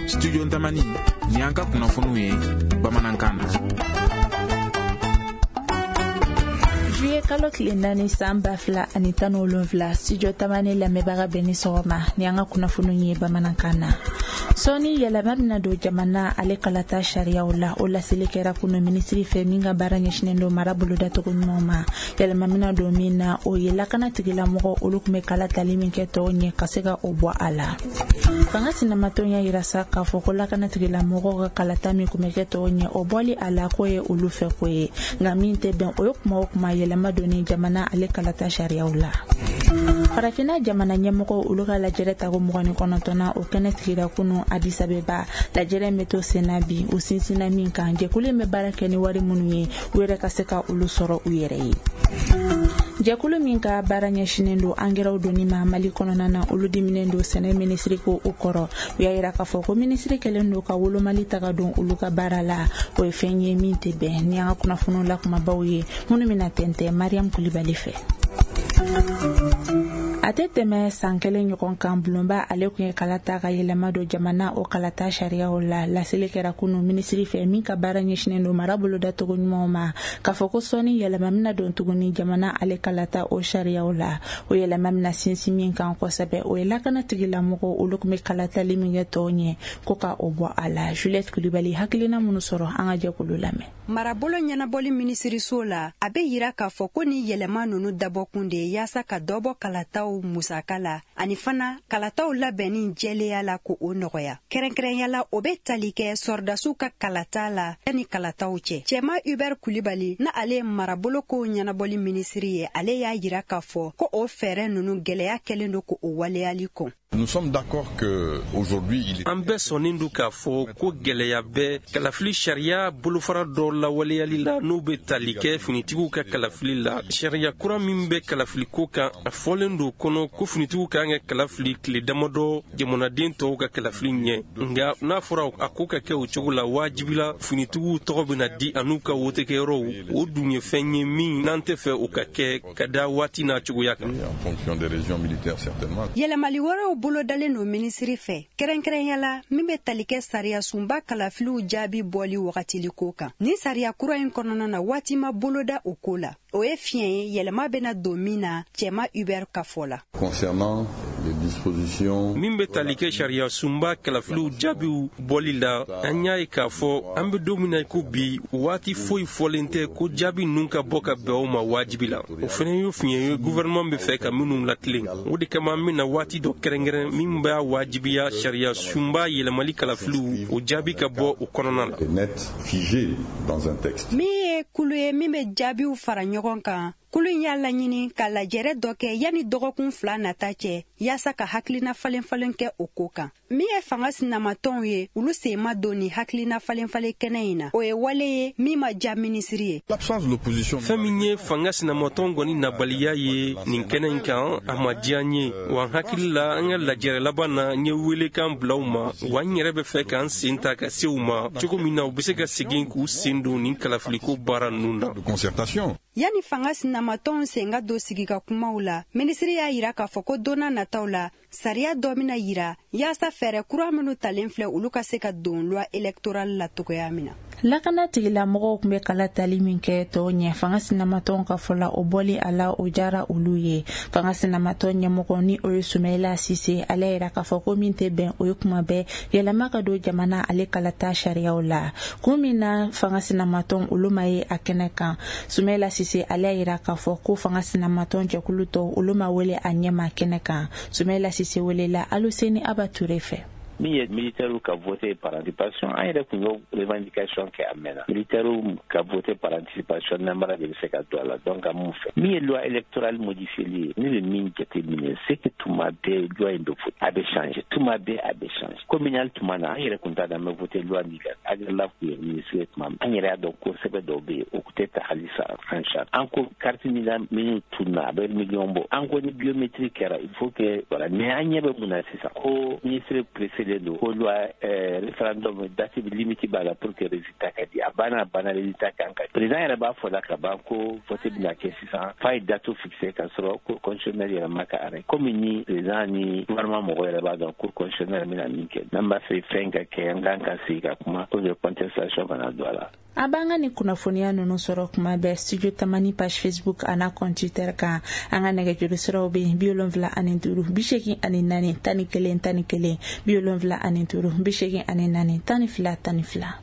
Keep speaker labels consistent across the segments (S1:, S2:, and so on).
S1: Studio Tamani ni an ka kunnafoniw ye bamanankan na.
S2: Juillet kalo tile 4 san 2017, Studio Tamani lamɛnbaga bɛɛ ni sɔgɔma ni an ka kunnafoniw ye bamanankan na. Sɔɔni yɛlɛma bɛna don jamana ale kalata sariyaw la. O laseli kɛra kunu minisiri fɛ min ka baara ɲɛsinnen don mara bolodacogo ɲumanw ma. Yɛlɛma bɛna don min na, o ye lakana tigilamɔgɔ olu tun bɛ kala tali min kɛ tɔw ɲɛ ka se ka o bɔ a la. Fanga sinamatɔn y'a yira sa k'a fɔ ko lakana tigilamɔgɔw ka kalata min tun bɛ kɛ tɔw ɲɛ, o bɔli a la k'o ye olu fɛ ko ye, nka min tɛ bɛn o ye kuma o kuma yɛlɛma donni jamana ale kalata sariyaw la. Farafinna jamana ɲɛmɔgɔw olu ka lajɛrɛ tako 29nan, o kɛnɛ sigira kunu Addis Abeba. Lajɛrɛ in bɛ to senna bi, u sinsinna min kan, jɛkulu in bɛ baara kɛ ni wari minnu ye, u yɛrɛ ka se ka olu sɔrɔ u yɛrɛ ye. Jɛkulu min ka baara ɲɛsinnen don angɛrɛw donni ma Mali kɔnɔna na, olu diminen don sɛnɛ minisiri ko o kɔrɔ. U y'a yira k'a fɔ ko minisiri kɛlen don ka wolomali ta ka don olu ka baara la, o ye fɛn ye min tɛ bɛn. Ni an ka kunnafoniw la kumabaw ye minnu bɛna tɛntɛn Mariam Kulibali fɛ. A tɛ tɛmɛ san kelen ɲɔgɔn kan, bulonba ale tun ye kala ta ka yɛlɛma don jamana o kalata sariyaw la. Laseli kɛra kunu minisiri fɛ min ka baara ɲɛsinnen don mara bolodacogo ɲumanw ma, k'a fɔ ko sɔɔni yɛlɛma bɛna don tuguni jamana ale kalata o sariyaw la. O yɛlɛma bɛna sinsin min kan kosɛbɛ, o ye lakana tigilamɔgɔw olu tun bɛ kalatali min kɛ tɔw ɲɛ, ko ka o bɔ a la. Juliette Kulibali hakilina minnu sɔrɔ, an ka jɛkulu lamɛn.
S3: Marabolo ɲɛnabɔli minisiriso la, a bɛ yira k'a fɔ ko ni yɛlɛma ninnu dabɔkun de ye yaasa ka dɔ bɔ kalataw musaka la, ani fana kalataw labɛnni jɛlenya la ko o nɔgɔya. Kɛrɛnkɛrɛnya la, o bɛ tali kɛ sɔrɔdasiw ka kalata la yanni kalataw cɛ. Cɛma Hubert Kulibali, na ale ye marabolo kow ɲɛnabɔli minisiri ye, ale y'a yira k'a fɔ ko o fɛɛrɛ ninnu gɛlɛya kɛlen don k'o waleyali kɔn.
S4: Nous sommes d'accord que aujourd'hui il est
S5: An bɛɛ sɔnnen don k'a fɔ ko gɛlɛya bɛ kalafili sariya bolofara dɔ lawaleyali la, n'o bɛ tali kɛ finitigiw ka kalafili la. Sariya kura min bɛ kalafiliko kan, a fɔlen don kɔnɔ ko finitigiw ka kan ka kalafili tile damadɔ jamanaden tɔw ka kalafili ɲɛ. Nka n'a fɔra a ko ka kɛ o cogo la, wajibi la finitigiw tɔgɔ bɛna di an'u ka wotekɛyɔrɔw. O dun ye fɛn ye min n'an tɛ fɛ o ka kɛ ka da waati n'a cogoya kan.
S4: En fonction des régions militaires certainement.
S3: Yɛlɛmali wɛrɛw bolodalen don minisiri fɛ, kɛrɛnkɛrɛnya la min bɛ tali kɛ sariya sunba kalafiliw jaabi bɔli wagatili ko kan. Ni sariya kura in kɔnɔna na, waati ma boloda o ko la. O ye fiɲɛ ye yɛlɛma bɛna don min na, Cɛma Hubert ka fɔ la.
S4: Concernant les dispositions
S5: Min bɛ tali kɛ sariya sunba kalafiliw jaabiw bɔli la, an y'a ye k'a fɔ an bɛ don min na i ko bi, waati foyi fɔlen tɛ ko jaabi ninnu ka bɔ ka bɛn o ma wajibi la. O fana ye fiɲɛ ye gouvernement bɛ fɛ ka minnu latilen. O de kama an bɛna waati dɔ kɛrɛnkɛrɛn min b'a wajibiya sariya sunba yɛlɛmali kalafiliw, o jaabi ka bɔ o kɔnɔna la.
S4: Net figé dans un texte.
S3: Min ye kulu ye min bɛ jaabiw fara ɲɔgɔn kan, kulu in y'a laɲini ka lajɛrɛ dɔ kɛ yanni dɔgɔkun 2 nata cɛ, yaasa ka hakilina falen falen kɛ o ko kan. Min ye fanga sinamatɔnw ye, olu sen ma don ni hakilina falen falen kɛnɛ in na. O ye wale ye min ma diya minisiri ye.
S4: L'absence de l'opposition.
S5: Fɛn min ye fanga sinamatɔn kɔni nabaliya ye nin kɛnɛ in kan, a ma diya n ye wa. N hakili la, an ka lajɛrɛ laban na, n ye welekan bila u ma wa. N yɛrɛ bɛ fɛ k'an sen ta ka se u ma cogo min na u bɛ se ka segin k'u sen don nin kalafiliko baara ninnu na.
S4: De concertation.
S3: Yanni fanga sinamatɔnw sen ka don sigi ka kumaw la, minisiri y'a yira k'a fɔ ko don n'a nataw la, sariya dɔ bɛna yira yaasa fɛɛrɛ kura minnu talen filɛ, olu ka se ka don loi électorale la cogoya min na.
S2: Lakana tigilamɔgɔw tun bɛ kala tali min kɛ tɔw ɲɛ, fanga sinamatɔnw ka fɔ la, o bɔli a la, o diyara olu ye. Fanga sinamatɔn ɲɛmɔgɔ ni o ye Sumayila Sise, ale yira k'a fɔ ko min tɛ bɛn, o ye kuma bɛɛ yɛlɛma ka don jamana ale kalata sariyaw la. Kun min na fanga sinamatɔn olu ma ye a kɛnɛ kan, Sumayila Sise ale y'a yira k'a fɔ ko fanga sinamatɔn jɛkulu tɔw olu ma wele a ɲɛma kɛnɛ kan. Sumayila Sise welela Aluseni Aba Ture fɛ.
S6: Min ye militaires ka voter par anticipation, an yɛrɛ tun y'o revendication kɛ a mɛnna. Militaires ka voter par anticipation, namara de bɛ se ka don a la. Donc an m'u fɛ. Min ye loi électorale modifiée ye, ne bɛ min jate minɛ, c'est que tuma bɛɛ loi in bɛ voter, a bɛ changer, tuma bɛɛ a bɛ changer. Communal tuma na, an yɛrɛ tun t'a dɔn an bɛ voter loi min kan. Aguerlaf tun ye ministre ye tuma min, an yɛrɛ y'a dɔn ko sɛbɛn dɔw bɛ yen, o tun tɛ ta halisa en charge. An ko carte NINA minnu tununa, a bɛ miliyɔn bɔ. An ko ni biométrie kɛra, il faut que voilà. Mais an ɲɛ bɛ mun na sisan? Ko ministre pressé. fixelen don ko loi référendum date limite b'a la pour que résultat ka di. A banna, a banna, résultat kan ka président yɛrɛ b'a fɔ la ka ban ko vote bɛna kɛ sisan, f'a ye date fixé ka sɔrɔ Cour constitutionnelle yɛrɛ ma ka arrêt. Komi ni président ni gouvernement mɔgɔ yɛrɛ b'a dɔn Cour constitutionnelle bɛna min kɛ, n'an b'a fɛ fɛn ka kɛ, an kan ka sigi ka kuma pour que contestation kana don a la.
S2: A b'an ka nin kunnafoniya ninnu sɔrɔ kuma bɛɛ Studio Tamani page Facebook a n'a compte Twitter kan. An ka nɛgɛjuru siraw bɛ yen: 75 84 11 11, 75 84 12 12.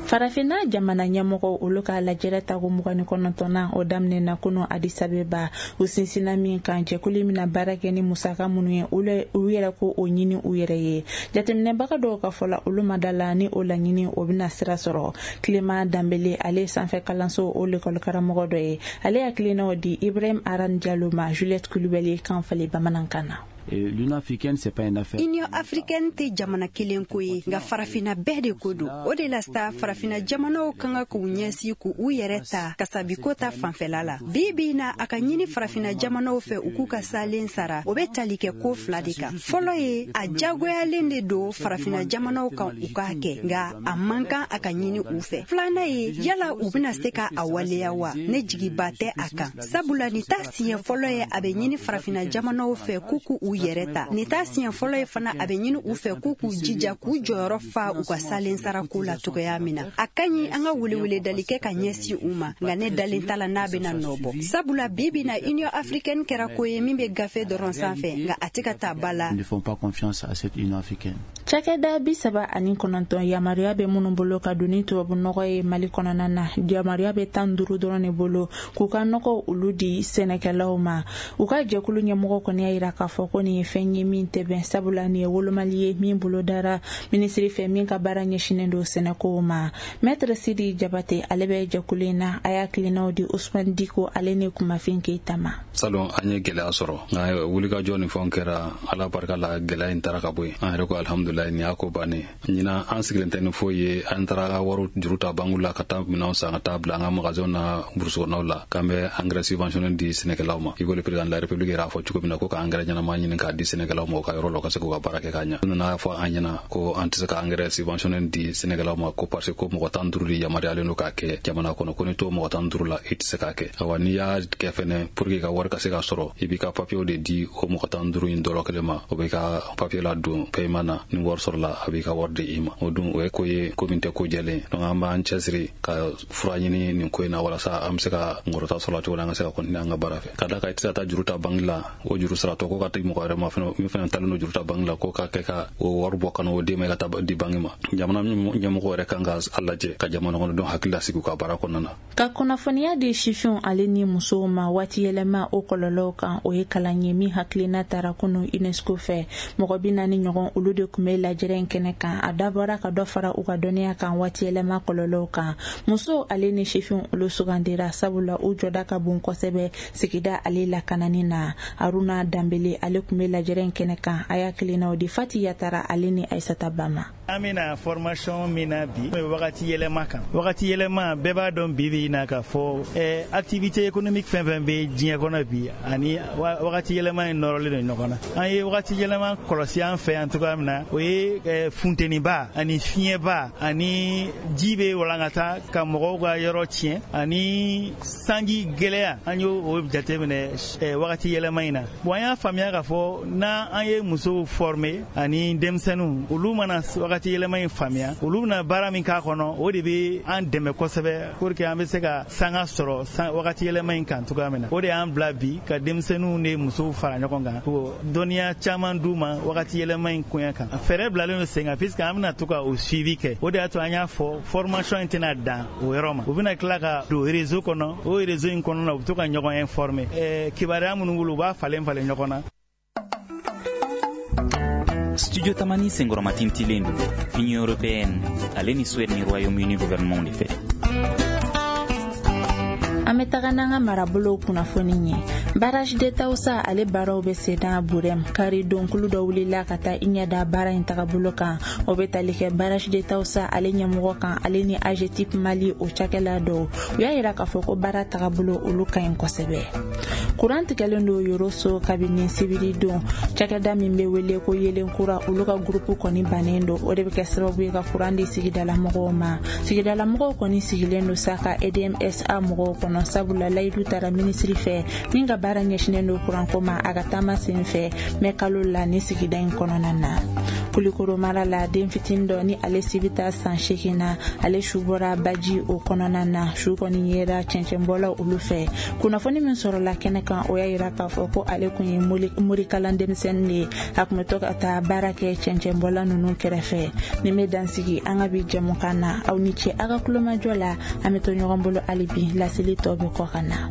S2: Farafinna jamana ɲɛmɔgɔ olu ka lajɛrɛ tago 29nan, o daminɛna kunu Addis Abeba. U sinsinna min kan, jɛkulu bɛna baara kɛ ni musaka minnu ye, olu yɛrɛ ko o ɲini u yɛrɛ ye. Jateminɛbaga dɔw ka fɔ la, olu ma da la ni o laɲini o bɛna sira sɔrɔ. Tilema Danbele, ale sanfɛ kalanso o lekɔli karamɔgɔ dɔ ye, ale hakilinaw di Ibrahim Aran Jalo ma Juliette Kulubali kan falen bamanankan na.
S7: L'Union africaine, c'est pas une affaire.
S3: Union africaine tɛ jamana kelen ko ye, nka farafina bɛɛ de ko don. O de la sa, farafina jamanaw kan ka k'u ɲɛsin k'u yɛrɛ ta kasabiko ta fanfɛla la. Bi bi na, a ka ɲini farafina jamanaw fɛ u k'u ka salen sara. O bɛ tali kɛ ko fila de kan. Fɔlɔ ye, a jagoyalen de don farafina jamanaw kan u k'a kɛ, nka a man kan a ka ɲini u fɛ. Filanan ye, yala u bɛna se ka a waleya wa? Ne jigiba tɛ a kan, sabula nin ta siɲɛ fɔlɔ ye a bɛ ɲini farafina jamanaw fɛ k'u k'u yɛrɛ ta. Nin t'a siɲɛ fɔlɔ ye fana a bɛ ɲini u fɛ k'u k'u jija k'u jɔyɔrɔ fa u ka salen sarako la cogoya min na. A ka ɲi an ka weleweledali kɛ ka ɲɛsin u ma, nka ne dalen t'a la n'a bɛna nɔ bɔ, sabula bi bi na, Union africaine kɛra ko ye min bɛ gafe dɔrɔn sanfɛ, nka a tɛ ka taa ba la.
S7: Ils ne font pas confiance à cette Union africaine.
S2: Cakɛda 39, yamaruya bɛ minnu bolo ka don ni tubabu nɔgɔ ye Mali kɔnɔna na, yamaruya bɛ 15 dɔrɔn de bolo k'u ka nɔgɔ olu di sɛnɛkɛlaw ma. U ka jɛkulu ɲɛmɔgɔ kɔni y'a yira k'a fɔ ko nin ye fɛn ye min tɛ bɛn, sabula nin ye wolomali ye min bolo dara minisiri fɛ min ka baara ɲɛsinnen don sɛnɛkow ma. Maître Sidi Jabate, ale bɛ jɛkulu in na, a y'a hakilinaw di Usman Diko ale ni Kumafin Keyita ma.
S8: Salon, an ye gɛlɛya sɔrɔ, nka wulikajɔ ni fɛnw kɛra, Ala barika la, gɛlɛya in taara ka bɔ yen. An yɛrɛ ko alhamdulilayi, nin y'a ko bannen. Ɲinan, an sigilen tɛ ni foyi ye. An taara ka wariw juru ta banque la ka taa minɛnw san ka taa bila an ka magasinw na brousse kɔnɔnaw la, k'an bɛ engrais subventionné di sɛnɛkɛlaw ma. I ko le président de la République yɛrɛ y'a fɔ cogo min na ko ka engrais ɲɛnama ɲini k'a di sɛnɛkɛlaw ma u ka yɔrɔ la, u ka se k'u ka baara kɛ ka ɲa. U nana fɔ an ɲɛna ko an tɛ se ka engrais subventionné di sɛnɛkɛlaw ma, ko parce que ko mɔgɔ 15 de yamaruyalen don k'a kɛ jamana kɔnɔ, ko ni t'o mɔgɔ 15 la, i tɛ se k'a kɛ. Awa, n'i y'a kɛ fɛnɛ, pour que i ka wari ka se ka sɔrɔ, i b'i ka papiyew de di o mɔgɔ 15 in dɔrɔ kelen ma. O b'i ka papiye la don paiement na, ni wari sɔrɔla, a b'i ka wari di i ma. O dun, o ye ko ye ko min tɛ ko jɛlen. Donc an b'an cɛsiri ka fura ɲini nin ko in na, walasa an bɛ se ka ngɔrɔta sɔrɔ cogo min, an ka se ka continuer an ka baara fɛ. Ka da kan i tɛ se ka taa juru ta banque la, o juru saratɔ ko ka di mɔgɔ wɛrɛ ma fɛnɛ, min fɛnɛ talen don juru ta banque la, ko ka kɛ ka o wari bɔ ka n'o d'e ma i ka taa di banque ma. Jamana ɲɛmɔgɔ yɛrɛ kan ka a lajɛ ka jamana kɔnɔdenw hakili lasigi u ka baara kɔnɔna na.
S2: Ka kunnafoniya di sifinw ale ni musow ma waati yɛlɛma o kɔlɔlɔw kan, o ye kalan ye min hakilina tara kunu UNESCO fɛ. Mɔgɔ 40 ɲɔgɔn, olu de tun bɛ lajɛrɛ in kɛnɛ kan. A dabɔra ka dɔ fara u ka dɔnniya kan waati yɛlɛma kɔlɔlɔw kan. Musow ale ni sifinw, olu sugandira sabula u jɔda ka bon kosɛbɛ sigida ale lakanani na. Aruna Danbele, ale tun bɛ lajɛrɛ in kɛnɛ kan, a y'a hakilinaw di Fati Yatara ale ni Aisata Bama.
S9: An bɛna formation min na bi, o ye wagati yɛlɛma kan. Wagati yɛlɛma, bɛɛ b'a dɔn bi bi in na k'a fɔ activité économique fɛn fɛn bɛ diɲɛ kɔnɔ bi, ani wagati yɛlɛma in nɔrɔlen don ɲɔgɔn na. An ye wagati yɛlɛma kɔlɔsi an fɛ yan cogoya min na, o ye funteniba ani fiɲɛba ani ji bɛ walankata ka mɔgɔw ka yɔrɔ tiɲɛ ani sanji gɛlɛya. An y'o o jateminɛ wagati yɛlɛma in na. Bon, an y'a faamuya k'a fɔ n'an an ye musow former ani denmisɛnninw, olu mana wagati yɛlɛma in faamuya, olu bɛna baara min k'a kɔnɔ, o de bɛ an dɛmɛ kosɛbɛ pour que an bɛ se ka sanga sɔrɔ wagati yɛlɛma in kan cogoya min na. O de y'an bila bi ka denmisɛnninw ni musow fara ɲɔgɔn kan ko dɔnniya caman d'u ma wagati yɛlɛma in koɲɛ kan. Fɛɛrɛ bilalen don sen kan, puisque an bɛna to ka o suivi kɛ. O de y'a to an y'a fɔ formation in tɛna dan o yɔrɔ ma, u bɛna tila ka don réseau kɔnɔ. O réseau in kɔnɔna na, u bɛ to ka ɲɔgɔn informer, kibaruya minnu bolo, u b'a falen falen ɲɔgɔn na.
S10: Studio Tamani senkɔrɔmatintilen don Union européenne ale ni Suède ni Royaume-Uni gouvernement de fɛ.
S2: An bɛ taga n'an ka marabolow kunnafoni ye. Barrage de Taoussa ale baaraw bɛ senna Burem. Kari donkulu dɔ wulila ka taa i ɲɛda baara in tagabolo kan. O bɛ tali kɛ barrage de Taoussa ale ɲɛmɔgɔ kan, ale ni AGETIP Mali o cakɛla dɔw. U y'a yira k'a fɔ ko baara tagabolo olu ka ɲi kosɛbɛ. Kuran tigɛlen don Yoroso kabini sibiri don. Cakɛda min bɛ wele ko Yelenkura, olu ka gurupu kɔni bannen don. O de bɛ kɛ sababu ye ka kuran di sigidalamɔgɔw ma. Sigidalamɔgɔw kɔni sigilen don sa ka EDMSA mɔgɔw kɔnɔ, sabula layidu tara minisiri fɛ min ka baara ɲɛsinnen don kuranko ma a ka taama sen fɛ mɛ kalo la ni sigida in kɔnɔna na. Kulikoro mara la, den fitinin dɔ ni ale si bɛ taa san 8 na, ale su bɔra baji o kɔnɔna na. Su kɔni yera cɛncɛnbɔlaw olu fɛ. Kunnafoni min sɔrɔla kɛnɛ kan, o y'a yira k'a fɔ ko ale kun ye morikalan denmisɛnnin de ye. A kun bɛ to ka taa baara kɛ cɛncɛnbɔla ninnu kɛrɛfɛ. Nin bɛ dansigi an ka bi jɛmukan na. Aw ni ce aw ka kulomajɔ la. An bɛ to ɲɔgɔn bolo hali bi, laseli tɔ bɛ kɔ ka na.